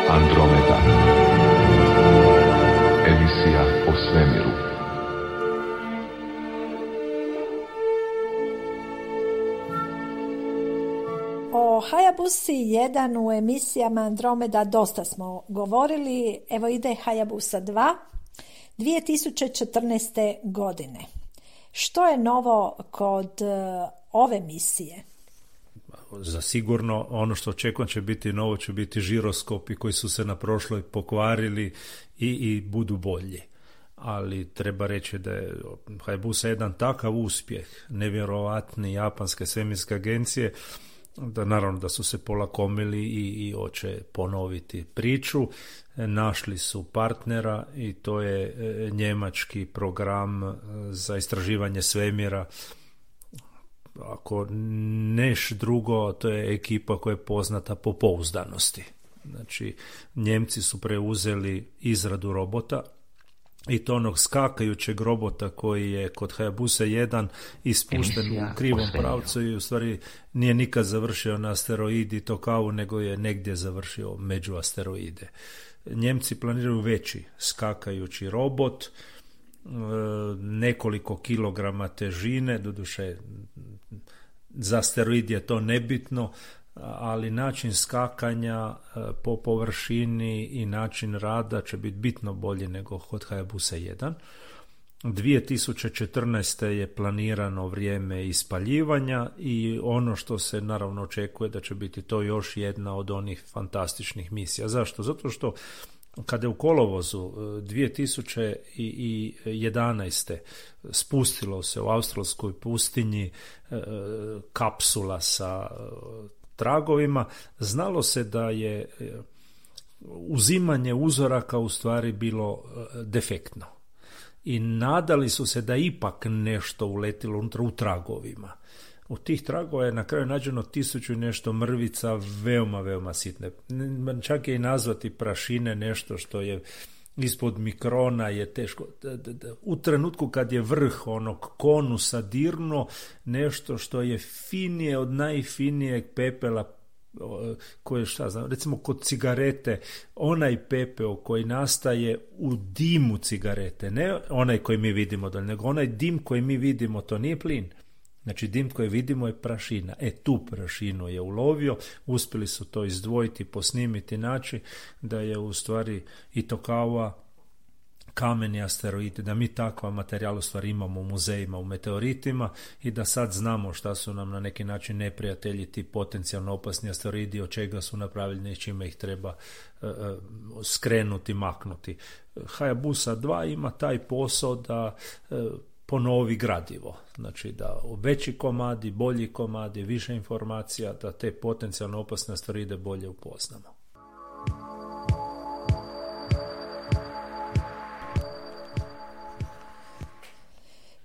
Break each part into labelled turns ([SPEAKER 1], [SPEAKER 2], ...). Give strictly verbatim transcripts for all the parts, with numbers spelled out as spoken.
[SPEAKER 1] Andromeda. Emisija o svemiru.
[SPEAKER 2] O Hayabusi jedan u emisijama Andromeda dosta smo govorili. Evo ide Hayabusa dva dvije tisuće četrnaeste. godine. Što je novo kod uh, ove misije?
[SPEAKER 3] Za sigurno ono što očekujem će biti novo, će biti žiroskopi koji su se na prošloj pokvarili i, i budu bolji. Ali treba reći da je Hayabusa jedan takav uspjeh, nevjerovatni japanske svemirske agencije, da naravno da su se polakomili i, i hoće ponoviti priču. Našli su partnera i to je njemački program za istraživanje svemira. Ako neš drugo, to je ekipa koja je poznata po pouzdanosti. Znači, Njemci su preuzeli izradu robota i to onog skakajućeg robota koji je kod Hayabusa jedan ispušten u krivom pravcu i u stvari nije nikad završio na asteroidi Tokavu, nego je negdje završio među asteroide. Njemci planiraju veći skakajući robot, nekoliko kilograma težine, doduše za asteroid je to nebitno, ali način skakanja po površini i način rada će biti bitno bolji nego kod Hayabusa jedan. dvije tisuće četrnaeste. je planirano vrijeme ispaljivanja i ono što se naravno očekuje da će biti to još jedna od onih fantastičnih misija. Zašto? Zato što kada je u kolovozu dvije tisuće jedanaeste. spustilo se u australskoj pustinji kapsula sa tragovima, znalo se da je uzimanje uzoraka u stvari bilo defektno. I nadali su se da ipak nešto uletilo unutra u tragovima. U tih tragova je na kraju nađeno tisuću i nešto mrvica, veoma, veoma sitne. Čak je i nazvati prašine nešto što je ispod mikrona je teško. U trenutku kad je vrh onog konusa dirno, nešto što je finije od najfinijeg pepela koje, šta znam, recimo kod cigarete, onaj pepeo koji nastaje u dimu cigarete, ne onaj koji mi vidimo, nego onaj dim koji mi vidimo, to nije plin. Znači dim koji vidimo je prašina. E tu prašinu je ulovio, uspjeli su to izdvojiti, posnimiti, naći da je u stvari i Tokawa kameni asteroidi, da mi takva materijal u stvari imamo u muzejima, u meteoritima i da sad znamo šta su nam na neki način neprijatelji, ti potencijalno opasni asteroidi, od čega su napravljeni i čime ih treba uh, skrenuti, maknuti. Hayabusa dva ima taj posao da uh, ponovi gradivo, znači da veći komadi, bolji komadi, više informacija, da te potencijalno opasne asteroide bolje upoznamo.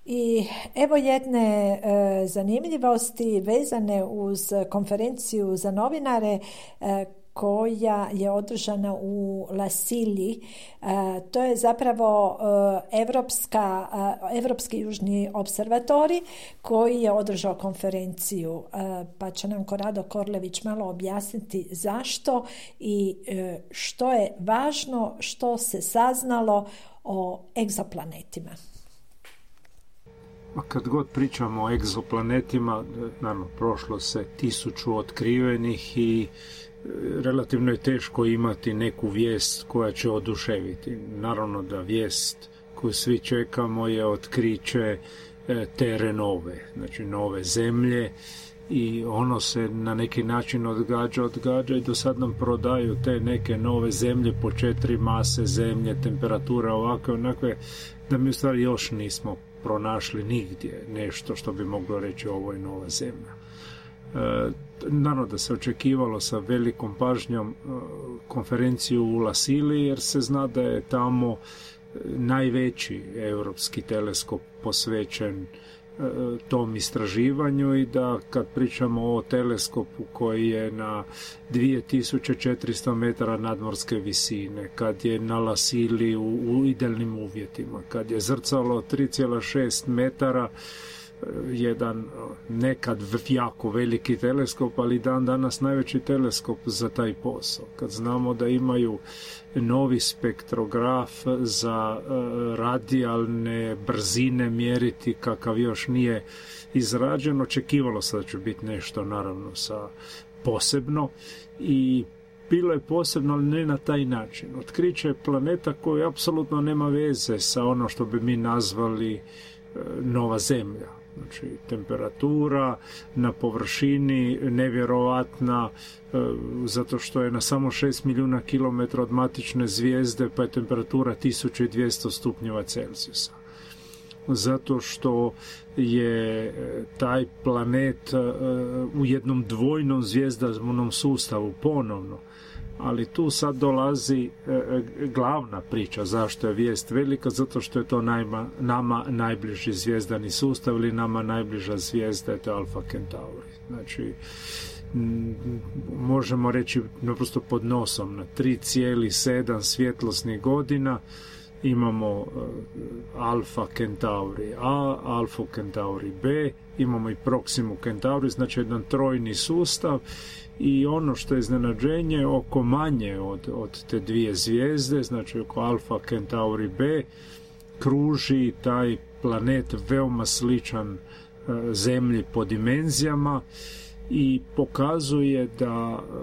[SPEAKER 2] I evo jedne e, zanimljivosti vezane uz konferenciju za novinare e, koja je održana u La Silji. E, to je zapravo e, Evropska, e, Evropski južni observatori koji je održao konferenciju. E, pa će nam Korado Korlević malo objasniti zašto i e, što je važno, što se saznalo o egzoplanetima.
[SPEAKER 3] Kad god pričamo o egzoplanetima, naravno, prošlo se tisuću otkrivenih i relativno je teško imati neku vijest koja će oduševiti. Naravno da vijest koju svi čekamo je otkriće Tere nove, znači nove zemlje, i ono se na neki način odgađa, odgađa i do sad nam prodaju te neke nove zemlje po četiri mase zemlje, temperatura ovakve, onakve, da mi u stvari još nismo pronašli nigdje nešto što bi moglo reći ovo je nova zemlja. E, naravno da se očekivalo sa velikom pažnjom konferenciju u La Sili, jer se zna da je tamo najveći europski teleskop posvećen tom istraživanju i da kad pričamo o teleskopu koji je na dvije tisuće četiristo metara nadmorske visine, kad je na La Sili u, u idealnim uvjetima, kad je zrcalo tri zarez šest metara, jedan nekad jako veliki teleskop, ali dan danas najveći teleskop za taj posao. Kad znamo da imaju novi spektrograf za radijalne brzine mjeriti kakav još nije izrađen, očekivalo se da će biti nešto naravno sa posebno i bilo je posebno, ali ne na taj način. Otkriće planeta koji apsolutno nema veze sa ono što bi mi nazvali nova Zemlja. Znači, temperatura na površini nevjerovatna, e, zato što je na samo šest milijuna kilometra od matične zvijezde, pa je temperatura tisuću dvjesto stupnjeva Celzijusa. Zato što je taj planet e, u jednom dvojnom zvijezdanom sustavu ponovno. Ali tu sad dolazi e, glavna priča zašto je vijest velika, zato što je to najma, nama najbliži zvijezdani sustav ili nama najbliža zvijezda, je to Alfa Centauri. Znači, m, možemo reći naprosto pod nosom na tri zarez sedam svjetlosnih godina imamo uh, Alfa Centauri A, Alfa Centauri B, imamo i Proximu Centauri, znači jedan trojni sustav. I ono što je iznenađenje, oko manje od, od te dvije zvijezde, znači oko Alfa Centauri B, kruži taj planet veoma sličan e, Zemlji po dimenzijama i pokazuje da, e,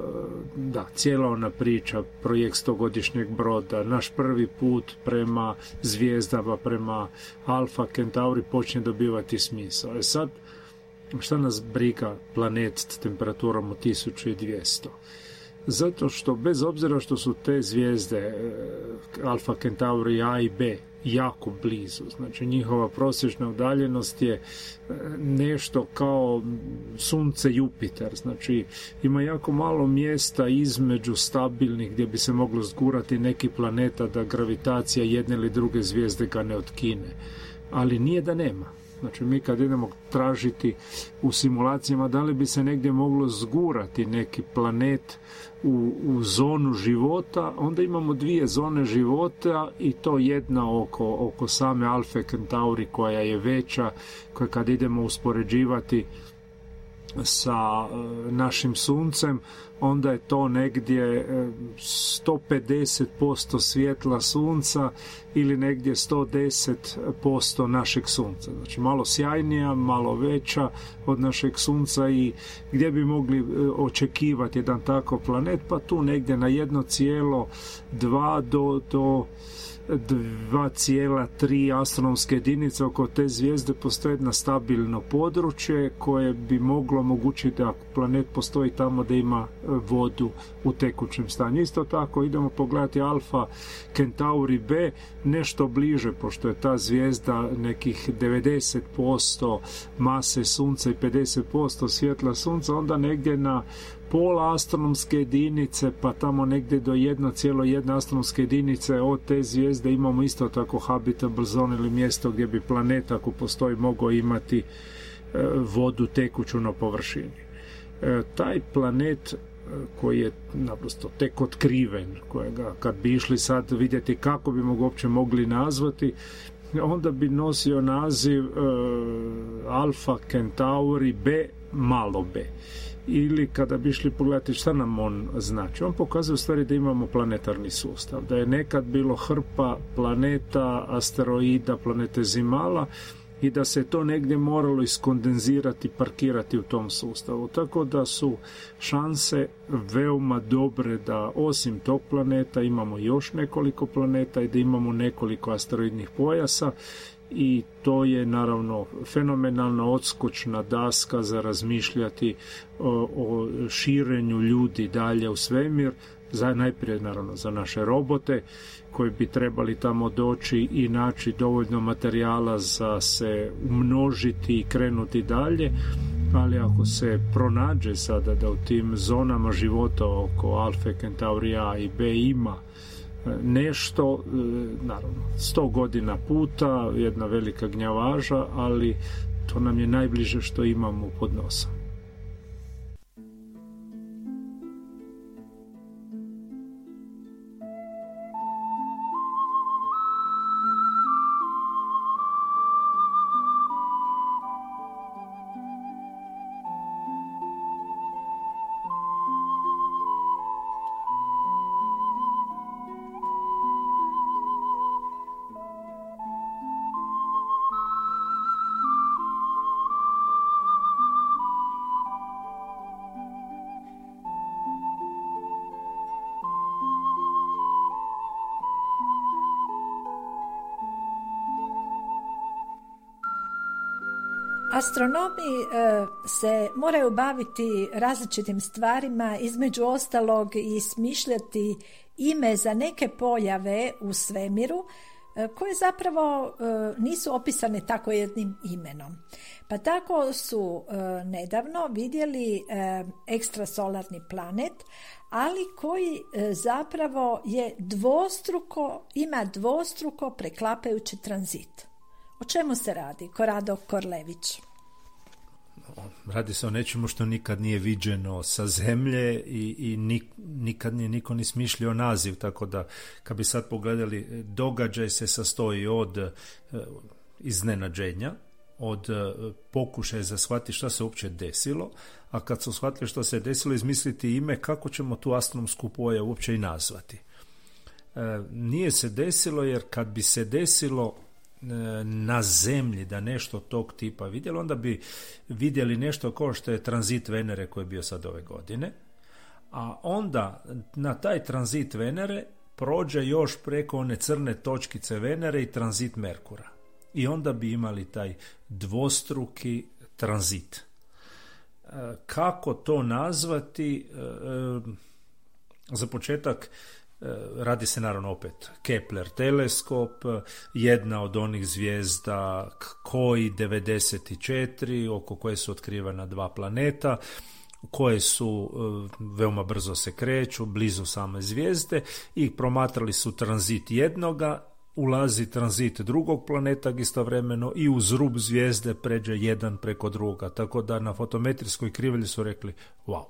[SPEAKER 3] da cijela ona priča, projekt stogodišnjeg broda, naš prvi put prema zvijezdama, prema Alfa Centauri počne dobivati smisao. E sad, šta nas briga planet s temperaturom od tisuću dvjesto? Zato što bez obzira što su te zvijezde Alfa Centauri A i B jako blizu, znači njihova prosječna udaljenost je nešto kao Sunce Jupiter, znači ima jako malo mjesta između stabilnih gdje bi se moglo zgurati neki planeta da gravitacija jedne ili druge zvijezde ga ne otkine, ali nije da nema. Znači mi kad idemo tražiti u simulacijama da li bi se negdje moglo zgurati neki planet u, u zonu života, onda imamo dvije zone života i to jedna oko, oko same Alfa Centauri koja je veća, koja kad idemo uspoređivati sa e, našim Suncem, onda je to negdje e, sto pedeset posto svjetla Sunca ili negdje sto deset posto našeg Sunca. Znači malo sjajnija, malo veća od našeg Sunca i gdje bi mogli e, očekivati jedan takav planet, pa tu negdje na jedno zarez dva do, do dva zarez tri astronomske jedinice oko te zvijezde postoji jedno stabilno područje koje bi moglo omogućiti da planet postoji tamo da ima vodu u tekućem stanju. Isto tako idemo pogledati Alfa Centauri B nešto bliže, pošto je ta zvijezda nekih devedeset posto mase Sunca i pedeset posto svjetla Sunca, onda negdje na pola astronomske jedinice, pa tamo negdje do jedno zarez jedna astronomske jedinice od te zvijezde imamo isto tako habitable zone ili mjesto gdje bi planet, ako postoji, mogao imati e, vodu tekuću na površini. E, taj planet e, koji je naprosto tek otkriven, kojega kad bi išli sad vidjeti kako bi ga uopće mogli nazvati, onda bi nosio naziv e, Alfa Centauri B malo b. Ili kada bi išli pogledati šta nam on znači. On pokazuje u stvari da imamo planetarni sustav, da je nekad bilo hrpa planeta, asteroida, planetezimala i da se to negdje moralo iskondenzirati, parkirati u tom sustavu. Tako da su šanse veoma dobre da osim tog planeta imamo još nekoliko planeta i da imamo nekoliko asteroidnih pojasa. I to je naravno fenomenalna odskočna daska za razmišljati o, o širenju ljudi dalje u svemir, za, najprije naravno za naše robote koji bi trebali tamo doći i naći dovoljno materijala za se umnožiti i krenuti dalje, ali ako se pronađe sada da u tim zonama života oko Alfe Centauri A i B ima nešto, naravno, sto godina puta, jedna velika gnjavaža, ali to nam je najbliže što imamo pod nosom.
[SPEAKER 2] Astronomi e, se moraju baviti različitim stvarima, između ostalog i smišljati ime za neke pojave u svemiru e, koje zapravo e, nisu opisane tako jednim imenom. Pa tako su e, nedavno vidjeli e, ekstrasolarni planet, ali koji e, zapravo je dvostruko, ima dvostruko preklapajući tranzit. O čemu se radi, Korado Korlević?
[SPEAKER 3] Radi se o nečemu što nikad nije viđeno sa zemlje i, i nik, nikad nije niko ni smišljio naziv, tako da kad bi sad pogledali, događaj se sastoji od e, iznenađenja, od e, pokušaja za shvatiti šta se uopće desilo, a kad su shvatili što se desilo, izmisliti ime kako ćemo tu astronomsku pojavu uopće i nazvati. E, nije se desilo, jer kad bi se desilo na zemlji da nešto tog tipa vidjeli, onda bi vidjeli nešto kao što je tranzit Venere koji je bio sad ove godine, a onda na taj tranzit Venere prođe još preko one crne točkice Venere i tranzit Merkura. I onda bi imali taj dvostruki tranzit. Kako to nazvati? Za početak, radi se naravno opet Kepler teleskop, jedna od onih zvijezda Koi devedeset četiri, oko koje su otkrivena dva planeta, koje su veoma brzo se kreću, blizu same zvijezde, i promatrali su tranzit jednoga, ulazi tranzit drugog planeta istovremeno i uz rub zvijezde pređe jedan preko drugoga, tako da na fotometrijskoj krivulji su rekli wow.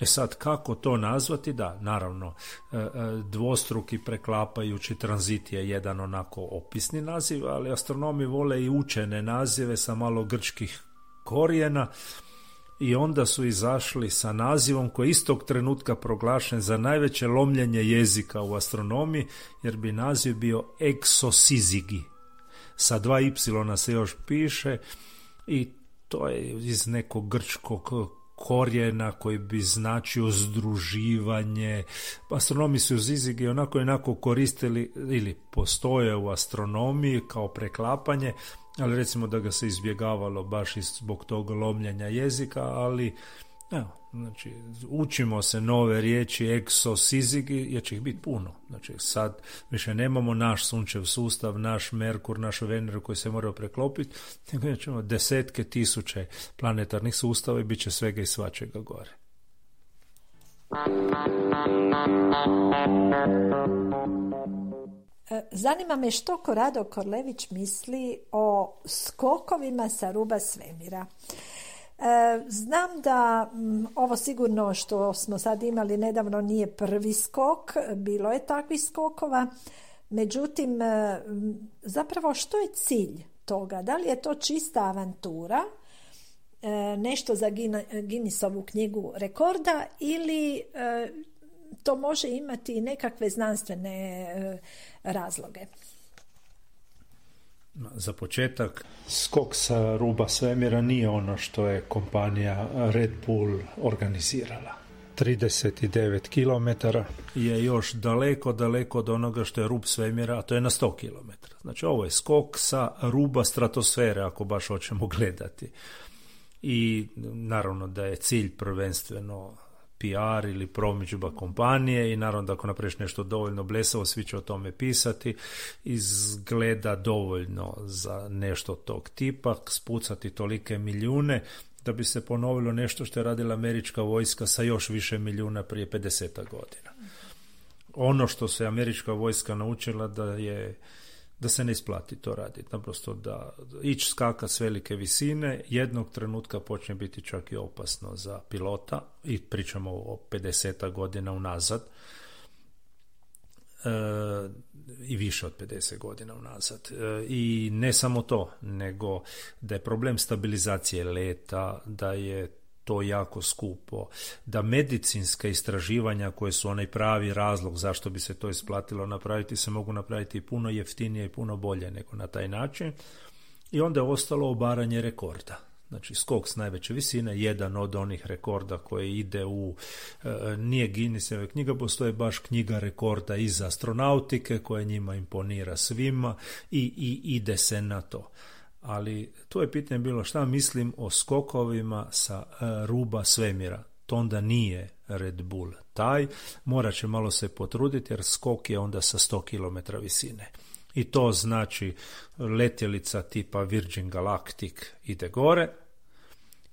[SPEAKER 3] E sad, kako to nazvati? Da, naravno, dvostruki preklapajući tranzit je jedan onako opisni naziv, ali astronomi vole i učene nazive sa malo grčkih korijena, i onda su izašli sa nazivom koji je istog trenutka proglašen za najveće lomljenje jezika u astronomiji, jer bi naziv bio Exosizigi. Sa dva y se još piše, i to je iz nekog grčkog korijena koji bi značio združivanje. Astronomi su zizigi onako i onako koristili ili postoje u astronomiji kao preklapanje, ali recimo da ga se izbjegavalo baš zbog tog lomljenja jezika, ali evo, znači, učimo se nove riječi eksosizigi, jer će ih biti puno. Znači, sad više nemamo naš sunčev sustav, naš Merkur, našu Veneru koji se moraju preklopiti, nego ćemo desetke tisuće planetarnih sustava i bit će svega i svačega gore.
[SPEAKER 2] Zanima me što Korado Korlević misli o skokovima sa ruba svemira. Znam da ovo sigurno što smo sad imali nedavno nije prvi skok, bilo je takvih skokova, međutim zapravo što je cilj toga? Da li je to čista avantura, nešto za Guinnessovu knjigu rekorda, ili to može imati i nekakve znanstvene razloge?
[SPEAKER 3] Za početak, skok sa ruba svemira nije ono što je kompanija Red Bull organizirala. trideset devet kilometara je još daleko, daleko od onoga što je rub svemira, a to je na sto kilometara. Znači, ovo je skok sa ruba stratosfere, ako baš hoćemo gledati. I naravno da je cilj prvenstveno P R ili promidžba kompanije, i naravno da ako napraviš nešto dovoljno blesavo, svi će o tome pisati, izgleda dovoljno za nešto tog tipa, spucati tolike milijune, da bi se ponovilo nešto što je radila američka vojska sa još više milijuna prije pedeset godina. Ono što se američka vojska naučila da je da se ne isplati to raditi. Naprosto da ići skakat s velike visine jednog trenutka počne biti čak i opasno za pilota i pričamo o pedeset godina unazad e, i više od pedeset godina unazad. E, I ne samo to, nego da je problem stabilizacije leta, da je to jako skupo, da medicinska istraživanja koje su onaj pravi razlog zašto bi se to isplatilo napraviti se mogu napraviti puno jeftinije i puno bolje nego na taj način. I onda je ostalo obaranje rekorda. Znači skok s najveće visine, jedan od onih rekorda koji ide u, e, nije Guinnessove knjiga, postoje baš knjiga rekorda iz astronautike koja njima imponira svima i, i ide se na to. Ali tu je pitanje bilo šta mislim o skokovima sa uh, ruba svemira. To onda nije Red Bull taj, morat će malo se potruditi jer skok je onda sa sto kilometara visine. I to znači letjelica tipa Virgin Galactic ide gore,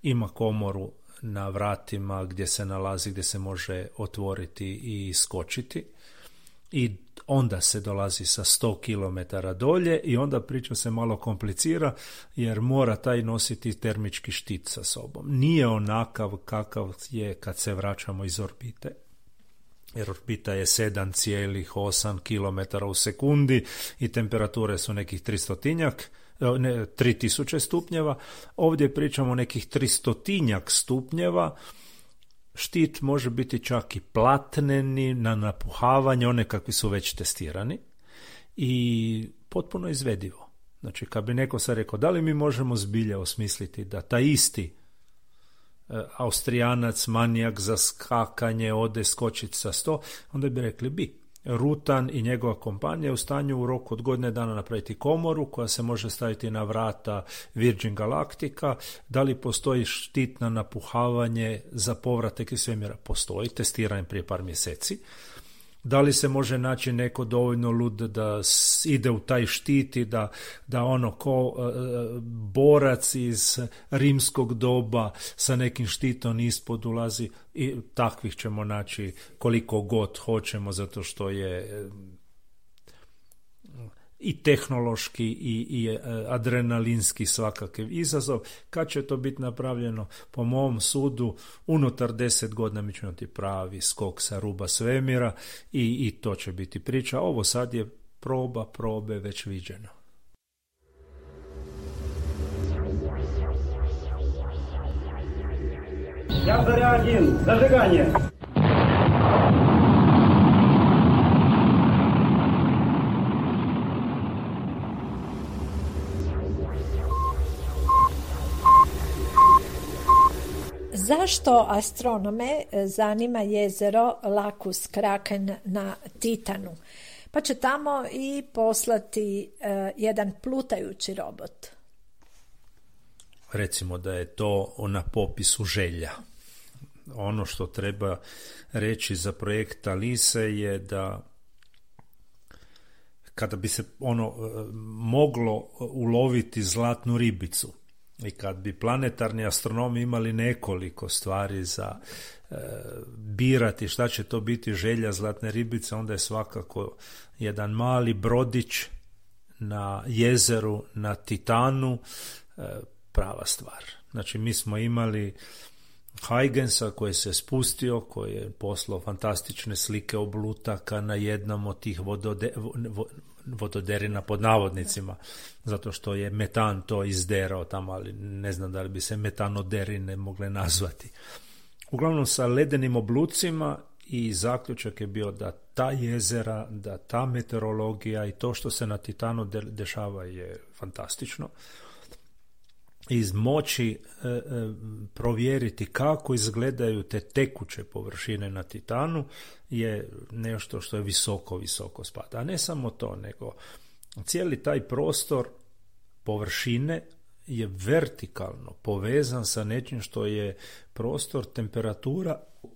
[SPEAKER 3] ima komoru na vratima gdje se nalazi, gdje se može otvoriti i skočiti. I onda se dolazi sa sto kilometara dolje i onda priča se malo komplicira jer mora taj nositi termički štit sa sobom. Nije onakav kakav je kad se vraćamo iz orbite. Jer orbita je sedam zarez osam kilometara u sekundi i temperature su nekih tristotinjak, ne, tri tisuće stupnjeva. Ovdje pričamo nekih tristotinjak stupnjeva. Štit može biti čak i platneni na napuhavanje, one kakvi su već testirani i potpuno izvedivo. Znači, kad bi neko sad rekao, da li mi možemo zbilja osmisliti da taj isti e, Austrijanac, manijak za skakanje, ode skočiti sa sto, onda bi rekli bi. Rutan i njegova kompanija je u stanju u roku od godine dana napraviti komoru koja se može staviti na vrata Virgin Galactica. Da li postoji štit na napuhavanje za povratak iz svemira? Postoji, testiran prije par mjeseci. Da li se može naći neko dovoljno lud da ide u taj štit i da, da ono ko e, borac iz rimskog doba sa nekim štitom ispod ulazi, i takvih ćemo naći koliko god hoćemo zato što je e, i tehnološki i, i adrenalinski svakakav izazov. Kad će to biti napravljeno? Po mom sudu unutar deset godina mi ćemo imati pravi skok sa ruba svemira i, i to će biti priča. Ovo sad je proba probe već viđeno.
[SPEAKER 4] Ja Заря один, зажигание.
[SPEAKER 2] Zašto astronome zanima jezero Lacus Kraken na Titanu? Pa će tamo i poslati uh, jedan plutajući robot.
[SPEAKER 3] Recimo da je to na popisu želja. Ono što treba reći za projekt Alise je da kada bi se ono moglo uloviti zlatnu ribicu i kad bi planetarni astronomi imali nekoliko stvari za e, birati šta će to biti želja zlatne ribice, onda je svakako jedan mali brodić na jezeru na Titanu e, prava stvar. Znači mi smo imali Huygensa koji se spustio, koji je poslao fantastične slike oblutaka na jednom od tih vodode, vododerina pod navodnicima, zato što je metan to izderao tamo, ali ne znam da li bi se metanoderine mogle nazvati. Uglavnom sa ledenim oblucima i zaključak je bio da ta jezera, da ta meteorologija i to što se na Titanu de- dešava je fantastično. Iz moći e, e, provjeriti kako izgledaju te tekuće površine na Titanu je nešto što je visoko, visoko spada. A ne samo to, nego cijeli taj prostor površine je vertikalno povezan sa nečim što je prostor temperatura e,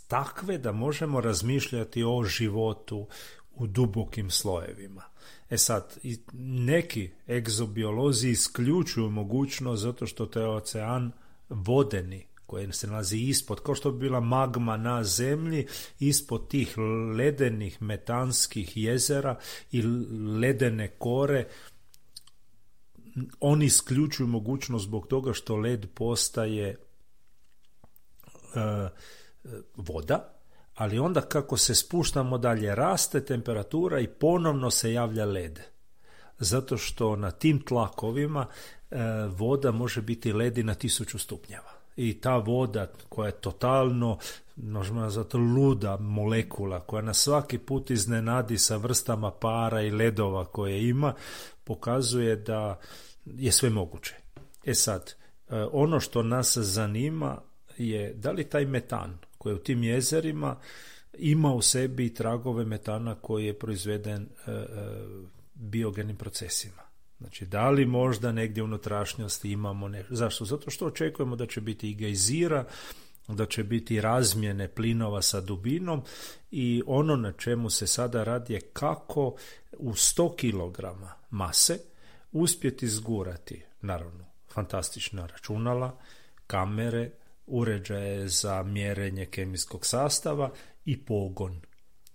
[SPEAKER 3] takve da možemo razmišljati o životu u dubokim slojevima. E sad, neki egzobiolozi isključuju mogućnost zato što to je ocean vodeni, koji se nalazi ispod, kao što bi bila magma na zemlji, ispod tih ledenih metanskih jezera i ledene kore, oni isključuju mogućnost zbog toga što led postaje uh, voda, ali onda kako se spuštamo dalje, raste temperatura i ponovno se javlja led. Zato što na tim tlakovima uh, voda može biti ledi na tisuću stupnjeva. I ta voda koja je totalno, možemo nazvati, luda molekula, koja nas svaki put iznenadi sa vrstama para i ledova koje ima, pokazuje da je sve moguće. E sad, ono što nas zanima je da li taj metan koji je u tim jezerima ima u sebi tragove metana koji je proizveden biogenim procesima. Znači, da li možda negdje u unutrašnjosti imamo nešto. Zašto? Zato što očekujemo da će biti i gejzira, da će biti razmjene plinova sa dubinom i ono na čemu se sada radi je kako u sto kilograma mase uspjeti zgurati, naravno, fantastična računala, kamere, uređaje za mjerenje kemijskog sastava i pogon.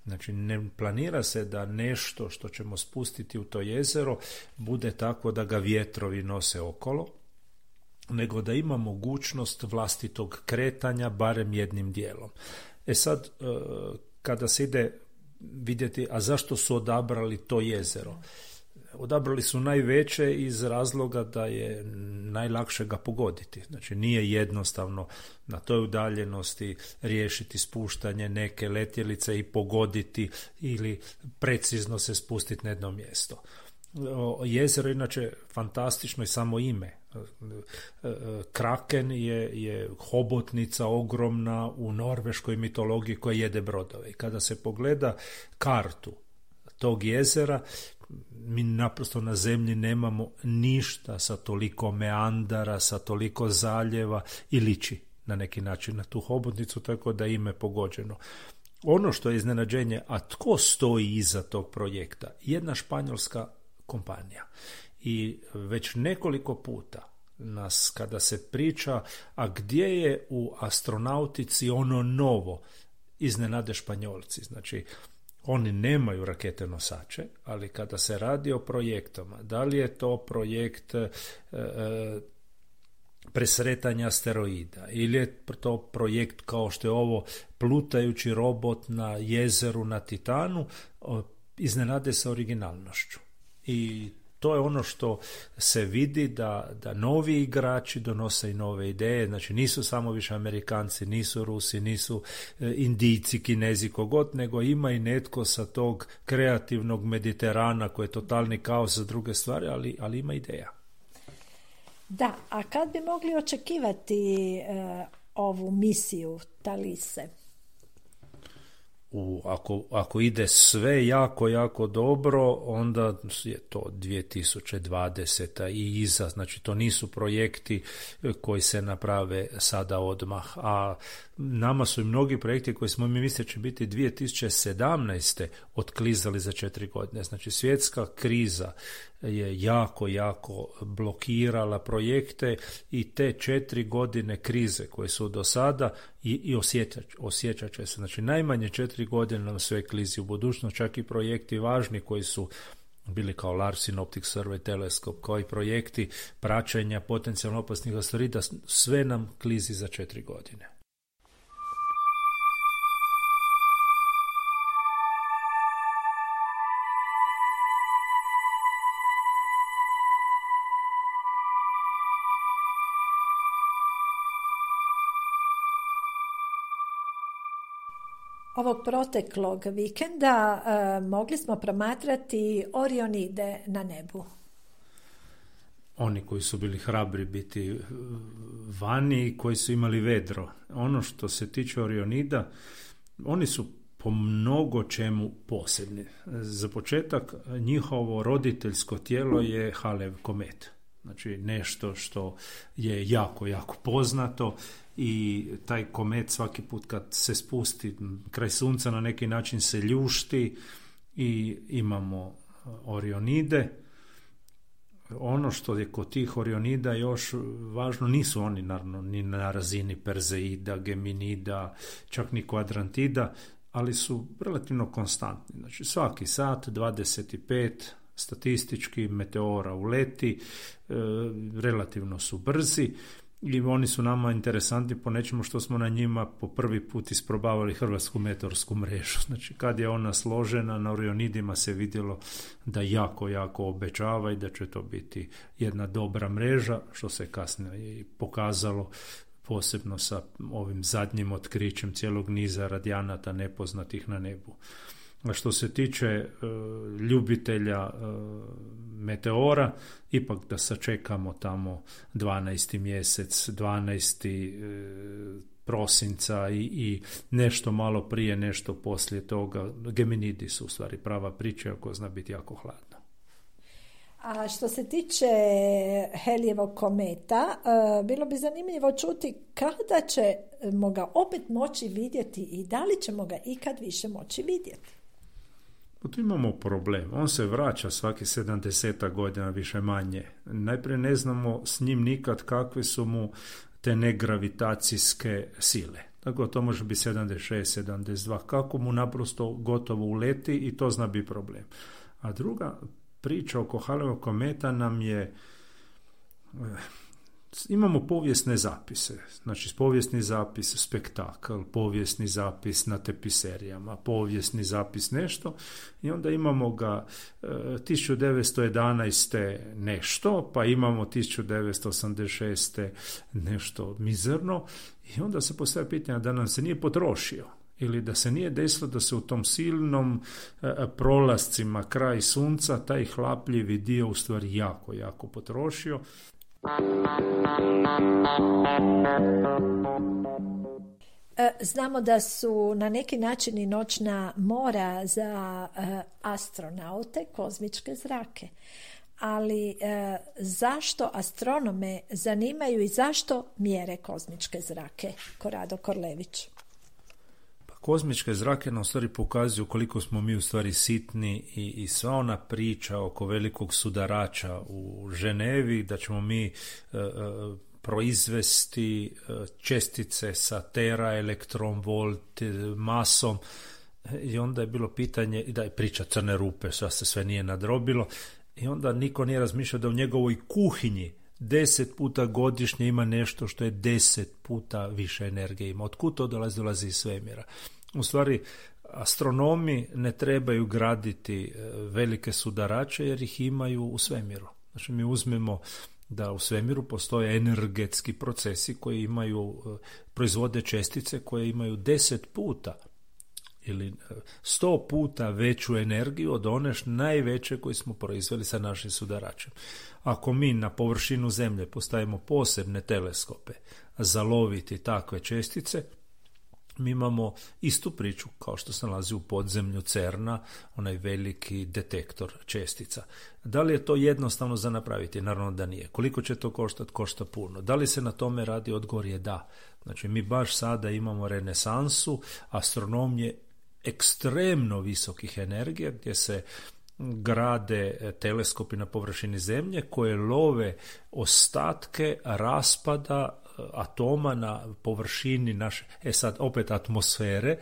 [SPEAKER 3] Znači, ne planira se da nešto što ćemo spustiti u to jezero bude tako da ga vjetrovi nose okolo, nego da ima mogućnost vlastitog kretanja barem jednim dijelom. E sad, kada se ide vidjeti, a zašto su odabrali to jezero? Odabrali su najveće iz razloga da je najlakše ga pogoditi. Znači, nije jednostavno na toj udaljenosti riješiti spuštanje neke letjelice i pogoditi ili precizno se spustiti na jedno mjesto. Jezero inače fantastično i samo ime. Kraken je, je hobotnica ogromna u norveškoj mitologiji koja jede brodove. I kada se pogleda kartu tog jezera, mi naprosto na zemlji nemamo ništa sa toliko meandara, sa toliko zaljeva i liči na neki način na tu hobotnicu, tako da ime pogođeno. Ono što je iznenađenje, a tko stoji iza tog projekta? Jedna španjolska kompanija. I već nekoliko puta nas kada se priča, a gdje je u astronautici ono novo, iznenade Španjolci. Znači, oni nemaju rakete nosače, ali kada se radi o projektama, da li je to projekt e, e, presretanja asteroida ili je to projekt kao što je ovo plutajući robot na jezeru na Titanu, iznenade sa originalnošću. I to je ono što se vidi da, da novi igrači donose i nove ideje, znači nisu samo više Amerikanci, nisu Rusi, nisu e, Indijci, Kinezi, kogod, nego ima i netko sa tog kreativnog Mediterana koji je totalni kaos za druge stvari, ali, ali ima ideja.
[SPEAKER 2] Da, a kad bi mogli očekivati e, ovu misiju Talise?
[SPEAKER 3] U, ako, ako ide sve jako, jako dobro, onda je to dvije tisuće dvadeseta i iza, znači to nisu projekti koji se naprave sada odmah, a nama su i mnogi projekti koji smo mi mislili će biti dvije tisuće sedamnaeste otklizali za četiri godine. Znači svjetska kriza je jako, jako blokirala projekte i te četiri godine krize koje su do sada i, i osjećat, osjećat će se. Znači najmanje četiri godine nam sve klizi u budućnost, čak i projekti važni koji su bili kao Larsen Optic Survey teleskop, kao i projekti praćenja potencijalno opasnih asteroida, sve nam klizi za četiri godine.
[SPEAKER 2] Ovog proteklog vikenda uh, mogli smo promatrati Orionide na nebu.
[SPEAKER 3] Oni koji su bili hrabri biti vani i koji su imali vedro. Ono što se tiče Orionida, oni su po mnogo čemu posebni. Za početak, njihovo roditeljsko tijelo je Halev komet. Znači nešto što je jako, jako poznato i taj komet svaki put kad se spusti kraj sunca na neki način se ljušti i imamo Orionide. Ono što je kod tih Orionida još važno, nisu oni naravno ni na razini Perzeida, Geminida, čak ni Kvadrantida, ali su relativno konstantni. Znači svaki sat dvadeset pet statistički meteora uleti, e, relativno su brzi i oni su nama interesantni po nečemu što smo na njima po prvi put isprobavali hrvatsku meteorsku mrežu. Znači kad je ona složena, na Orionidima se vidjelo da jako, jako obećava i da će to biti jedna dobra mreža, što se kasnije i pokazalo, posebno sa ovim zadnjim otkrićem cijelog niza radijanata nepoznatih na nebu. A što se tiče e, ljubitelja e, meteora, ipak da sačekamo tamo dvanaesti mjesec, dvanaesti E, prosinca i, i nešto malo prije, nešto poslije toga. Geminidi su u stvari prava priča, ako zna biti jako hladno.
[SPEAKER 2] A što se tiče Halleyevog kometa, bilo bi zanimljivo čuti kada ćemo ga opet moći vidjeti i da li ćemo ga ikad više moći vidjeti.
[SPEAKER 3] Tu imamo problem. On se vraća svaki sedamdeset godina više manje. Najprije ne znamo s njim nikad kakve su mu te negravitacijske sile. Tako to može biti sedamdeset šest, sedamdeset dva. Kako mu naprosto gotovo uleti i to zna biti problem. A druga priča oko Halleyevog kometa nam je, imamo povijesne zapise, znači povijesni zapis spektakl, povijesni zapis na tepiserijama, povijesni zapis nešto i onda imamo ga e, tisuću devetsto jedanaeste nešto, pa imamo tisuću devetsto osamdeset šeste nešto mizerno i onda se postavlja pitanje da nam se nije potrošio. Ili da se nije desilo da se u tom silnom e, prolascima kraj sunca taj hlapljivi dio u stvari jako, jako potrošio.
[SPEAKER 2] Znamo da su na neki način i noćna mora za astronaute kozmičke zrake. Ali zašto astronome zanimaju i zašto mjere kozmičke zrake? Korado Korlević.
[SPEAKER 3] Kozmičke zrake nam u stvari pokazuju koliko smo mi u stvari sitni i, i sva ona priča oko velikog sudarača u Ženevi, da ćemo mi e, e, proizvesti e, čestice sa tera elektron volt masom i onda je bilo pitanje, da je priča crne rupe, što se sve nije nadrobilo i onda niko nije razmišljao da u njegovoj kuhinji deset puta godišnje ima nešto što je deset puta više energije ima. Otkud to dolazi? Dolazi iz svemira. U stvari, astronomi ne trebaju graditi velike sudarače jer ih imaju u svemiru. Znači, mi uzmemo da u svemiru postoje energetski procesi koji imaju, proizvode čestice koje imaju deset puta ili sto puta veću energiju od one najveće koje smo proizveli sa našim sudaračem. Ako mi na površinu Zemlje postavimo posebne teleskope za loviti takve čestice, mi imamo istu priču kao što se nalazi u podzemlju CERN-a, onaj veliki detektor čestica. Da li je to jednostavno za napraviti? Naravno da nije. Koliko će to koštati? Košta puno. Da li se na tome radi? Odgovor je da. Znači mi baš sada imamo renesansu astronomije ekstremno visokih energija gdje se grade teleskopi na površini Zemlje koje love ostatke raspada atoma na površini naše, e sad opet atmosfere,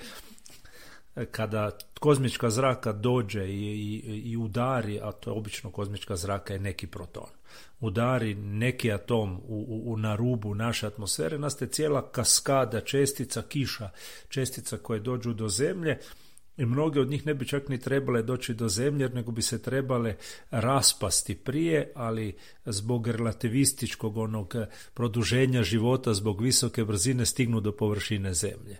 [SPEAKER 3] kada kozmička zraka dođe i, i, i udari, a to je obično kozmička zraka je neki proton, udari neki atom u, u, na rubu naše atmosfere, nastaje cijela kaskada čestica, kiša čestica koje dođu do Zemlje i mnoge od njih ne bi čak ni trebale doći do Zemlje, nego bi se trebale raspasti prije, ali zbog relativističkog onog produženja života, zbog visoke brzine stignu do površine Zemlje.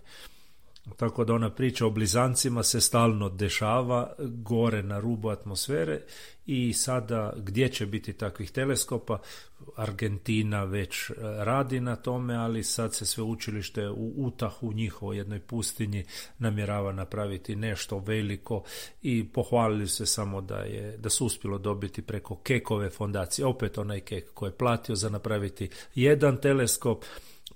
[SPEAKER 3] Tako da ona priča o blizancima se stalno dešava gore na rubu atmosfere i sada gdje će biti takvih teleskopa, Argentina već radi na tome, ali sad se sveučilište u Utahu, njihovoj jednoj pustinji, namjerava napraviti nešto veliko i pohvalili se samo da je da su uspjelo dobiti preko Keckove fondacije, opet onaj Keck koji je platio za napraviti jedan teleskop,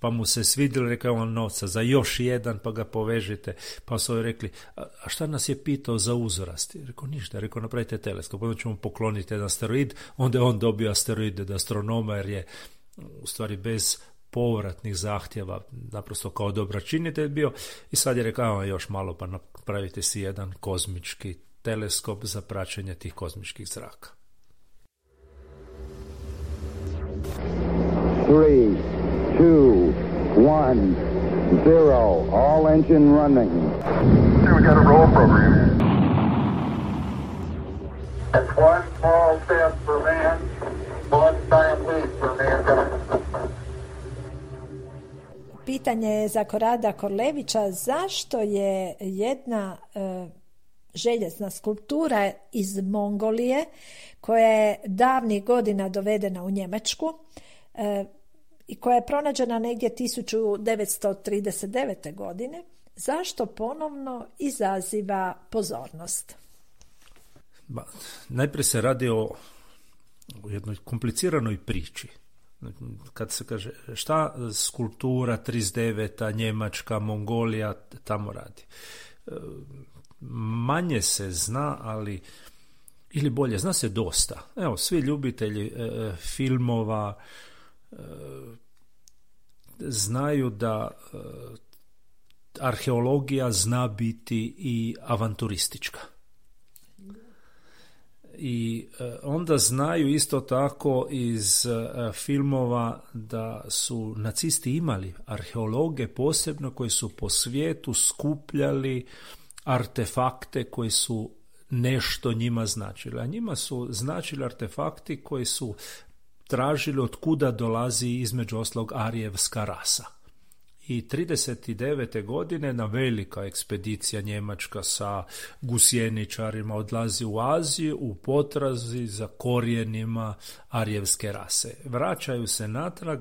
[SPEAKER 3] pa mu se svidjelo, rekao on novca za još jedan, pa ga povežite. Pa su rekli, a šta nas je pitao za uzrast? Rekao, ništa, rekao, napravite teleskop, onda ćemo pokloniti jedan asteroid, onda je on dobio asteroid od astronoma, jer je u stvari bez povratnih zahtjeva, naprosto kao dobračinitelj bio, i sad je rekao, još malo pa napravite si jedan kozmički teleskop za praćenje tih kozmičkih zraka.
[SPEAKER 5] Three, two, one, zero. All engine running.
[SPEAKER 6] We got a roll program.
[SPEAKER 5] That's one small step for man, one giant leap for mankind.
[SPEAKER 2] Pitanje je za Korada Korlevića, zašto je jedna e, željezna skulptura iz Mongolije, koja je davnih godina dovedena u Njemačku e, i koja je pronađena negdje tisuću devetsto trideset devete. godine, zašto ponovno izaziva pozornost?
[SPEAKER 3] Ba, najprije se radi o, o jednoj kompliciranoj priči. Kad se kaže šta skulptura trideset deveta. Njemačka, Mongolija tamo radi. Manje se zna, ali ili bolje, zna se dosta. Evo, svi ljubitelji e, filmova e, znaju da e, arheologija zna biti i avanturistička. I onda znaju isto tako iz filmova da su nacisti imali arheologe posebno koji su po svijetu skupljali artefakte koji su nešto njima značili. A njima su značili artefakti koji su tražili od kuda dolazi između ostalog arijevska rasa. I trideset devete. godine na velika ekspedicija njemačka sa gusjeničarima odlazi u Aziju u potrazi za korijenima arijevske rase. Vraćaju se natrag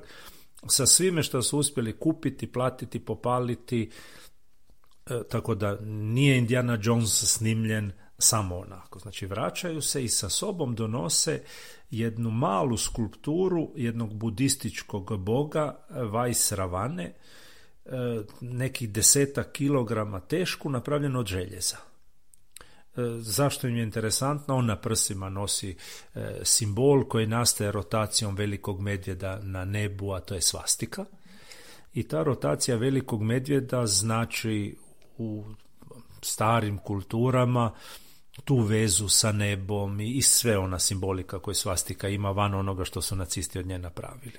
[SPEAKER 3] sa svime što su uspjeli kupiti, platiti, popaliti, e, tako da nije Indiana Jones snimljen samo onako. Znači vraćaju se i sa sobom donose jednu malu skulpturu jednog budističkog boga Vajsravane, nekih desetak kilograma tešku, napravljeno od željeza. Zašto im je interesantno? On na prsima nosi simbol koji nastaje rotacijom velikog medvjeda na nebu, a to je svastika. I ta rotacija velikog medvjeda znači u starim kulturama tu vezu sa nebom i sve ona simbolika koju svastika ima van onoga što su nacisti od nje napravili.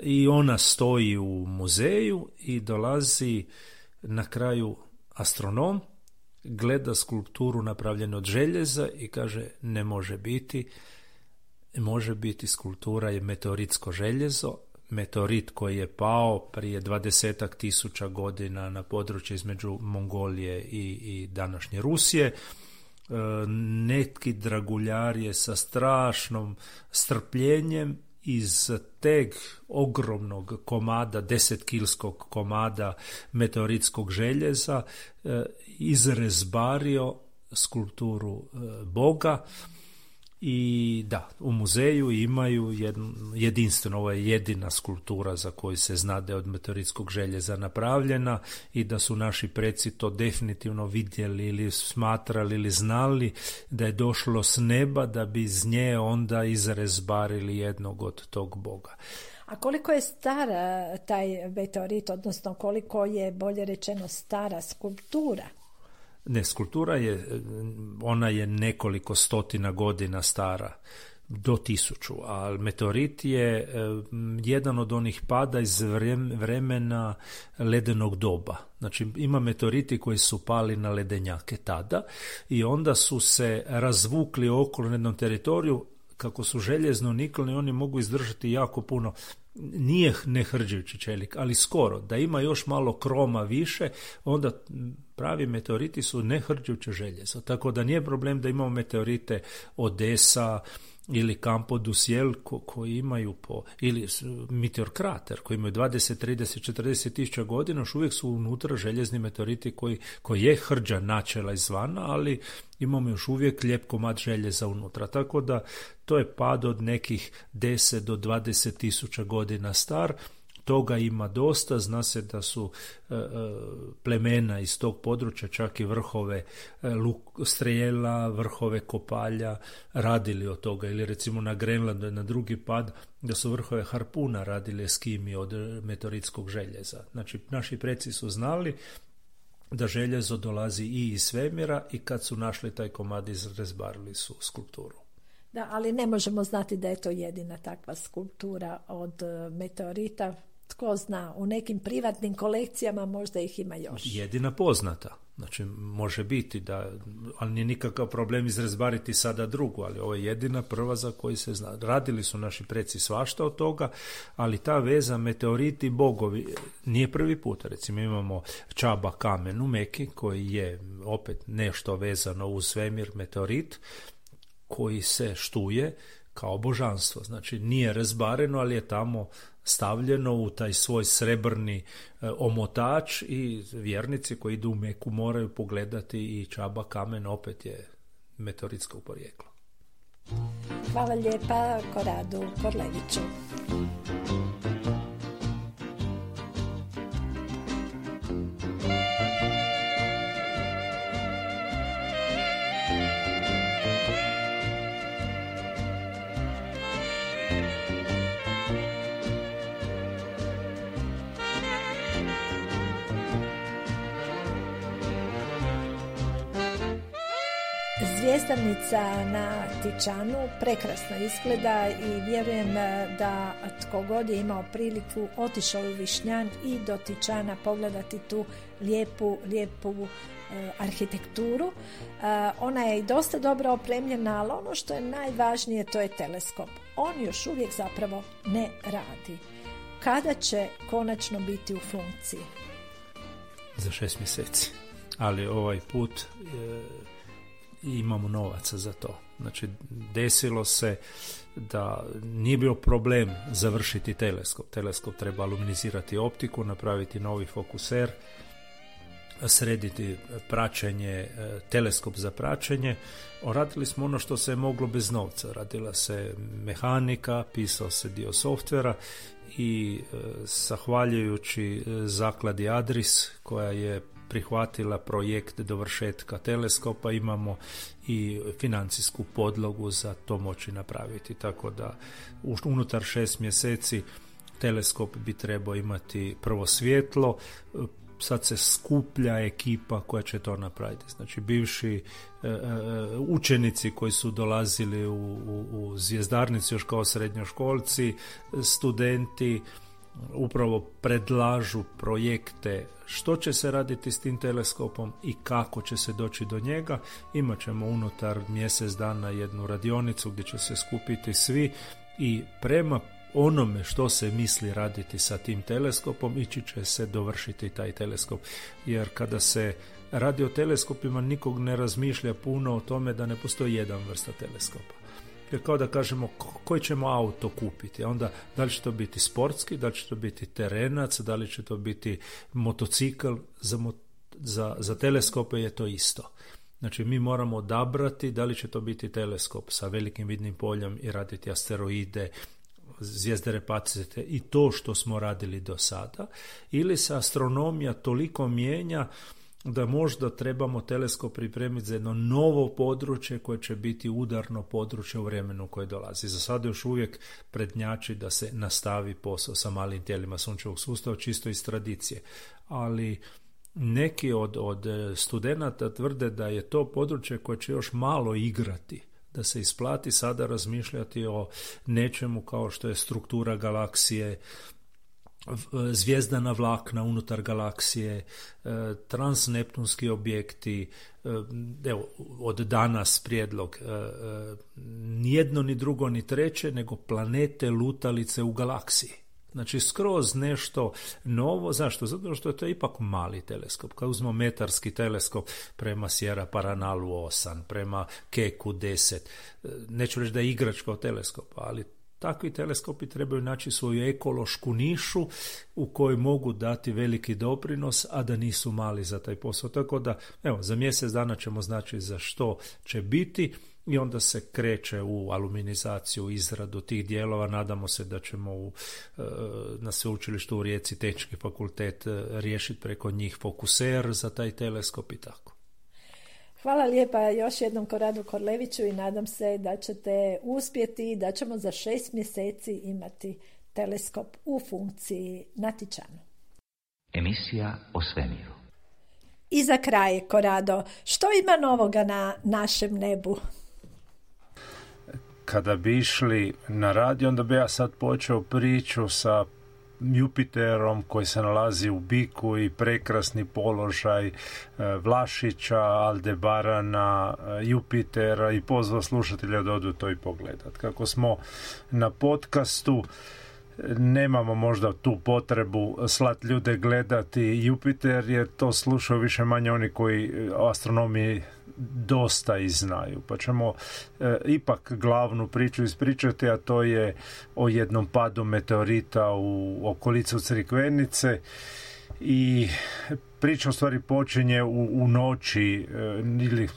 [SPEAKER 3] I ona stoji u muzeju i dolazi na kraju astronom, gleda skulpturu napravljenu od željeza i kaže ne može biti, može biti skulptura je meteoritsko željezo, meteorit koji je pao prije dvadesetak tisuća godina na područje između Mongolije i, i današnje Rusije. Neki draguljar je sa strašnom strpljenjem iz teg ogromnog komada, desetkilskog komada meteoritskog željeza izrezbario skulpturu Boga. I da, u muzeju imaju jedno, jedinstveno, ovo je jedina skulptura za koju se zna da je od meteoritskog željeza napravljena i da su naši preci to definitivno vidjeli ili smatrali ili znali da je došlo s neba da bi iz nje onda izrezbarili jednog od tog Boga.
[SPEAKER 2] A koliko je stara taj meteorit, odnosno koliko je, bolje rečeno, stara skulptura?
[SPEAKER 3] Ne, skulptura je, ona je nekoliko stotina godina stara, do tisuću, a meteorit je e, jedan od onih pada iz vremena ledenog doba. Znači ima meteoriti koji su pali na ledenjake tada i onda su se razvukli okolo na jednom teritoriju. Kako su željezno nikleni, oni mogu izdržati jako puno. Nije nehrđujući čelik, ali skoro. Da ima još malo kroma više, onda pravi meteoriti su nehrđujuće željezo. Tako da nije problem da imamo meteorite Odesa ili Campo du Ciel ko, koji imaju po, ili meteor krater koji imaju dvadeset, trideset, četrdeset tisuća godina, još uvijek su unutra željezni meteoriti koji, koji je hrđa načela izvana, ali imamo još uvijek lijep komad željeza unutra. Tako da to je pad od nekih deset do dvadeset tisuća godina star. Toga ima dosta, zna se da su e, plemena iz tog područja, čak i vrhove e, luk, strijela, vrhove kopalja radili od toga, ili recimo na Grenlandu na drugi pad da su vrhove harpuna radili Eskimi od meteoritskog željeza. Znači naši preci su znali da željezo dolazi i iz svemira i kad su našli taj komad izrezbarili su skulpturu.
[SPEAKER 2] Da, ali ne možemo znati da je to jedina takva skulptura od meteorita. Tko zna, u nekim privatnim kolekcijama možda ih ima još.
[SPEAKER 3] Jedina poznata. Znači, može biti da, ali nije nikakav problem izrezbariti sada drugu, ali ovo je jedina prva za koju se zna. Radili su naši preci svašta od toga, ali ta veza meteoriti, bogovi, nije prvi put. Recimo imamo Čaba kamen u Meki, koji je opet nešto vezano uz svemir, meteorit, koji se štuje kao božanstvo. Znači, nije rezbareno, ali je tamo stavljeno u taj svoj srebrni e, omotač i vjernici koji idu u Meku moraju pogledati i Čaba kamen opet je meteoritskog porijekla.
[SPEAKER 2] Hvala lijepa Koradu Korleviću. Zvjezdarnica na Tičanu prekrasno izgleda i vjerujem da tko god je imao priliku otišao u Višnjan i do Tičana pogledati tu lijepu, lijepu uh, arhitekturu. Uh, ona je i dosta dobro opremljena, ali ono što je najvažnije to je teleskop. On još uvijek zapravo ne radi. Kada će konačno biti u funkciji?
[SPEAKER 3] Za šest mjeseci. Ali ovaj put je... i imamo novaca za to. Znači, desilo se da nije bio problem završiti teleskop. Teleskop treba aluminizirati optiku, napraviti novi fokuser, srediti praćenje, teleskop za praćenje. Radili smo ono što se je moglo bez novca. Radila se mehanika, pisao se dio softvera i zahvaljujući zakladi Adris koja je prihvatila projekt dovršetka teleskopa, imamo i financijsku podlogu za to moći napraviti. Tako da unutar šest mjeseci teleskop bi trebao imati prvo svjetlo, sad se skuplja ekipa koja će to napraviti. Znači bivši e, e, učenici koji su dolazili u, u, u zvjezdarnicu još kao srednjoškolci, studenti upravo predlažu projekte što će se raditi s tim teleskopom i kako će se doći do njega. Imat ćemo unutar mjesec dana jednu radionicu gdje će se skupiti svi i prema onome što se misli raditi sa tim teleskopom ići će se dovršiti taj teleskop. Jer kada se radi o teleskopima nikog ne razmišlja puno o tome da ne postoji jedan vrsta teleskopa. Jer kao da kažemo koji ćemo auto kupiti, a onda da li će to biti sportski, da li će to biti terenac, da li će to biti motocikl, za, mo, za, za teleskope je to isto. Znači mi moramo odabrati da li će to biti teleskop sa velikim vidnim poljem i raditi asteroide, zvijezdere pacete i to što smo radili do sada, ili se astronomija toliko mijenja da možda trebamo teleskop pripremiti za jedno novo područje koje će biti udarno područje u vremenu koje dolazi. Za sada još uvijek prednjači da se nastavi posao sa malim tijelima sunčevog sustava, čisto iz tradicije. Ali neki od, od studenata tvrde da je to područje koje će još malo igrati, da se isplati sada razmišljati o nečemu kao što je struktura galaksije, zvijezdana vlakna unutar galaksije, transneptunski objekti. Evo, od danas prijedlog nijedno ni drugo ni treće nego planete lutalice u galaksiji. Znači skroz nešto novo. Zašto? Zato što je to ipak mali teleskop. Kad uzmemo metarski teleskop prema Sierra Paranalu osam, prema Keku deset, neću reći da je igračka od teleskopa, ali takvi teleskopi trebaju naći svoju ekološku nišu u kojoj mogu dati veliki doprinos, a da nisu mali za taj posao. Tako da, evo, za mjesec dana ćemo znači za što će biti i onda se kreće u aluminizaciju, izradu tih dijelova. Nadamo se da ćemo u, na sveučilištu u Rijeci Tehnički fakultet riješiti preko njih fokuser za taj teleskop i tako.
[SPEAKER 2] Hvala lijepa još jednom Koradu Korleviću i nadam se da ćete uspjeti i da ćemo za šest mjeseci imati teleskop u funkciji na Tičanu.
[SPEAKER 7] Emisija o svemiru.
[SPEAKER 2] I za kraj, Korado, što ima novoga na našem nebu?
[SPEAKER 3] Kada bi išli na radio, onda bi ja sad počeo priču sa Jupiterom koji se nalazi u biku i prekrasni položaj Vlašića, Aldebarana, Jupitera i pozvao slušatelja da odu to i pogledat. Kako smo na podcastu, nemamo možda tu potrebu slat ljude gledati Jupiter, jer to slušaju više manje oni koji o astronomiji dosta i znaju. Pa ćemo e, ipak glavnu priču ispričati, a to je o jednom padu meteorita u okolicu Crikvenice. I priča u stvari počinje u, u noći e, ili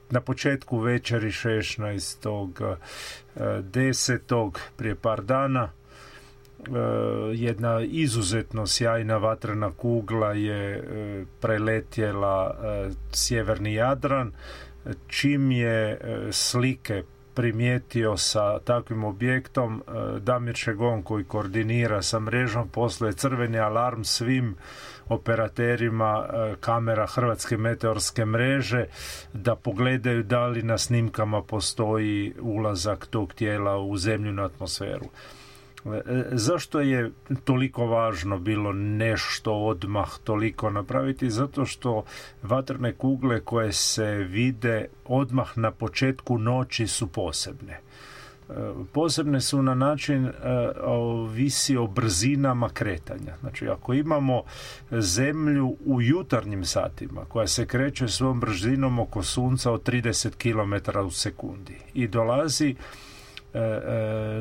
[SPEAKER 3] na početku večeri šesnaestog desetog prije par dana. Jedna izuzetno sjajna vatrena kugla je preletjela sjeverni Jadran, čim je slike primijetio sa takvim objektom, Damir Šegon koji koordinira sa mrežom posluje crveni alarm svim operaterima kamera Hrvatske meteorske mreže da pogledaju da li na snimkama postoji ulazak tog tijela u zemljinu atmosferu. Zašto je toliko važno bilo nešto odmah toliko napraviti? Zato što vatrene kugle koje se vide odmah na početku noći su posebne. Posebne su na način ovisi o brzinama kretanja. Znači, ako imamo zemlju u jutarnjim satima koja se kreće svojom brzinom oko sunca od trideset kilometara u sekundi i dolazi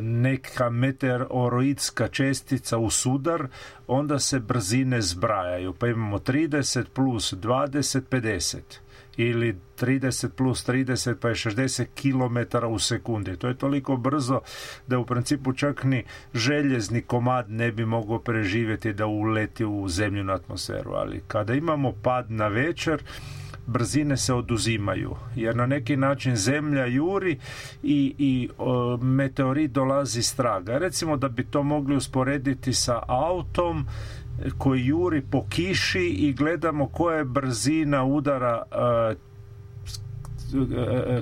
[SPEAKER 3] neka meteoroidska čestica u sudar, onda se brzine zbrajaju, pa imamo trideset plus dvadeset, pedeset ili trideset plus trideset pa je šezdeset kilometara u sekundi. To je toliko brzo da u principu čak ni željezni komad ne bi mogao preživjeti da uleti u zemljinu atmosferu, ali kada imamo pad na večer, brzine se oduzimaju, jer na neki način zemlja juri i, i o, meteorit dolazi s traga. Recimo da bi to mogli usporediti sa autom koji juri po kiši i gledamo koja je brzina udara a,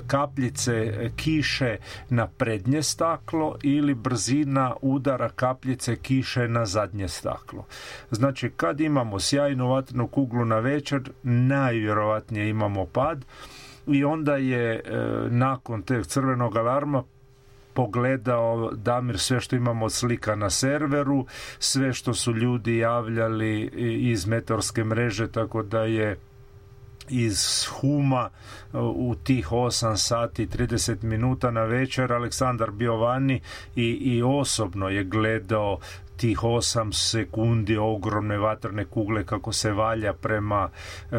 [SPEAKER 3] kapljice kiše na prednje staklo ili brzina udara kapljice kiše na zadnje staklo. Znači, kad imamo sjajnu vatrenu kuglu na večer, najvjerojatnije imamo pad i onda je e, nakon teg crvenog alarma pogledao Damir sve što imamo od slika na serveru, sve što su ljudi javljali iz meteorske mreže, tako da je iz Huma u tih osam sati i trideset minuta na večer Aleksandar bio vani i, i osobno je gledao tih osam sekundi ogromne vatrene kugle kako se valja prema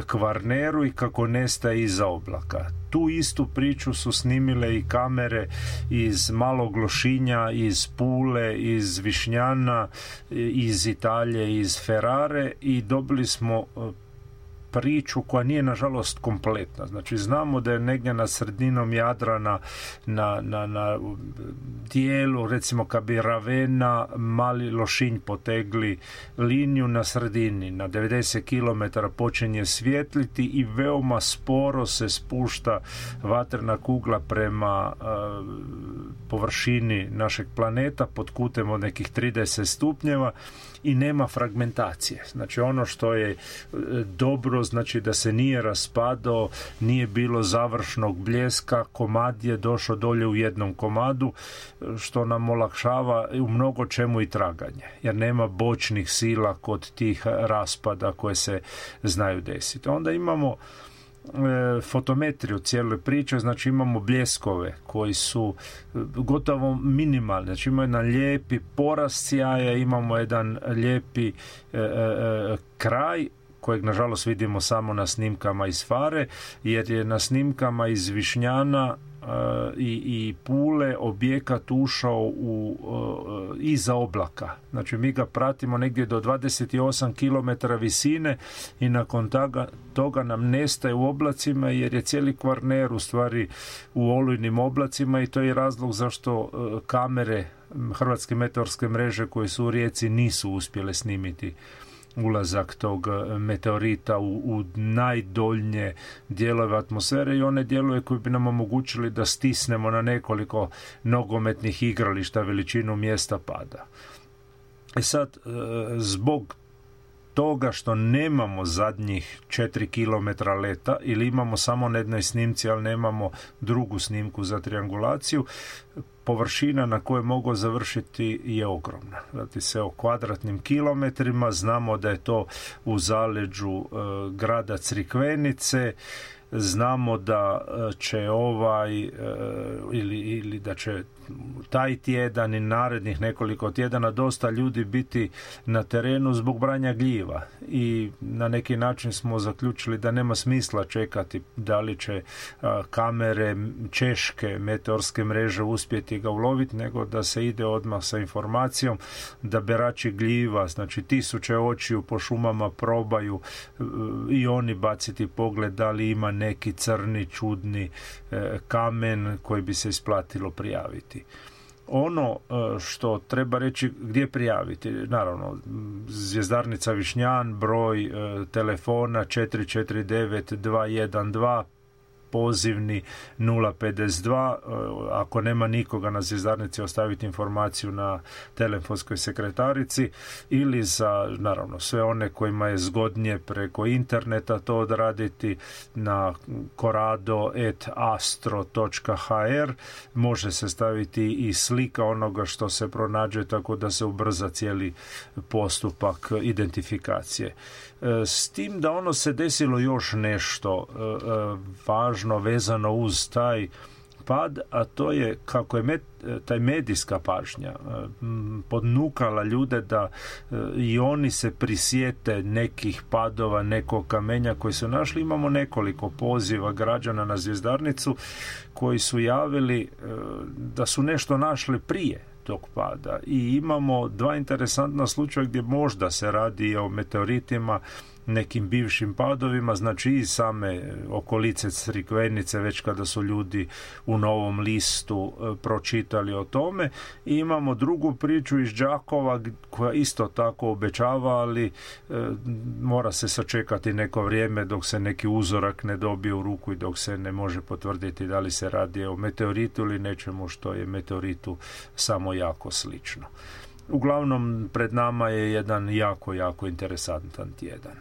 [SPEAKER 3] Kvarneru i kako nestaje iza oblaka. Tu istu priču su snimile i kamere iz Malog Lošinja, iz Pule, iz Višnjana, iz Italije, iz Ferrare i dobili smo priču koja nije nažalost kompletna. Znači, znamo da je negdje na sredinom Jadrana na, na, na dijelu, recimo kad bi Ravena, Mali Lošinj potegli liniju na sredini, na devedeset kilometara počinje svjetliti i veoma sporo se spušta vatrena kugla prema uh, površini našeg planeta pod kutem od nekih trideset stupnjeva i nema fragmentacije. Znači, ono što je dobro, znači da se nije raspadao, nije bilo završnog bljeska, komad je došao dolje u jednom komadu, što nam olakšava u mnogo čemu i traganje, jer nema bočnih sila kod tih raspada koje se znaju desiti. Onda imamo e, fotometriju cijele priče, znači imamo bljeskove koji su gotovo minimalni, znači imamo jedan lijepi porast sjaja, imamo jedan lijepi e, e, kraj kojeg nažalost vidimo samo na snimkama iz Fare, jer je na snimkama iz Višnjana i, i Pule objekat ušao u, iza oblaka. Znači mi ga pratimo negdje do dvadeset osam kilometara visine i nakon toga, toga nam nestaje u oblacima jer je cijeli Kvarner u stvari u olujnim oblacima i to je razlog zašto kamere Hrvatske meteorske mreže koje su u Rijeci nisu uspjele snimiti ulazak tog meteorita u, u najdoljnje dijelove atmosfere i one dijelove koje bi nam omogućili da stisnemo na nekoliko nogometnih igrališta veličinu mjesta pada. E sad, zbog toga što nemamo zadnjih četiri kilometra leta ili imamo samo na jednoj snimci, ali nemamo drugu snimku za triangulaciju, površina na kojoj mogu završiti je ogromna. Radi se o kvadratnim kilometrima, znamo da je to u zaleđu e, grada Crikvenice, znamo da će ovaj e, ili, ili da će taj tjedan i narednih nekoliko tjedana dosta ljudi biti na terenu zbog branja gljiva i na neki način smo zaključili da nema smisla čekati da li će a, kamere češke meteorske mreže uspjeti ga uloviti, nego da se ide odmah sa informacijom da berači gljiva, znači tisuće očiju po šumama probaju e, i oni baciti pogled da li ima neki crni, čudni e, kamen koji bi se isplatilo prijaviti. Ono što treba reći gdje prijaviti, naravno Zvjezdarnica Višnjan, broj telefona četiri četiri devet dva jedan dva, pozivni nula pedeset dva, ako nema nikoga na Zvjezdarnici ostaviti informaciju na telefonskoj sekretarici ili za, naravno, sve one kojima je zgodnije preko interneta to odraditi na korado et astro točka ha er, može se staviti i slika onoga što se pronađe tako da se ubrza cijeli postupak identifikacije. S tim da ono se desilo još nešto važno vezano uz taj pad, a to je kako je med, taj medijska pažnja podnukala ljude da i oni se prisjete nekih padova, nekog kamenja koji su našli. Imamo nekoliko poziva građana na Zvjezdarnicu koji su javili da su nešto našli prije tog pada i imamo dva interesantna slučaja gdje možda se radi o meteoritima, nekim bivšim padovima, znači i same okolice Crikvenice, već kada su ljudi u Novom listu e, pročitali o tome. I imamo drugu priču iz Đakova koja isto tako obećava, ali e, mora se sačekati neko vrijeme dok se neki uzorak ne dobije u ruku i dok se ne može potvrditi da li se radi o meteoritu ili nečemu što je meteoritu samo jako slično. Uglavnom, pred nama je jedan jako, jako interesantan tjedan.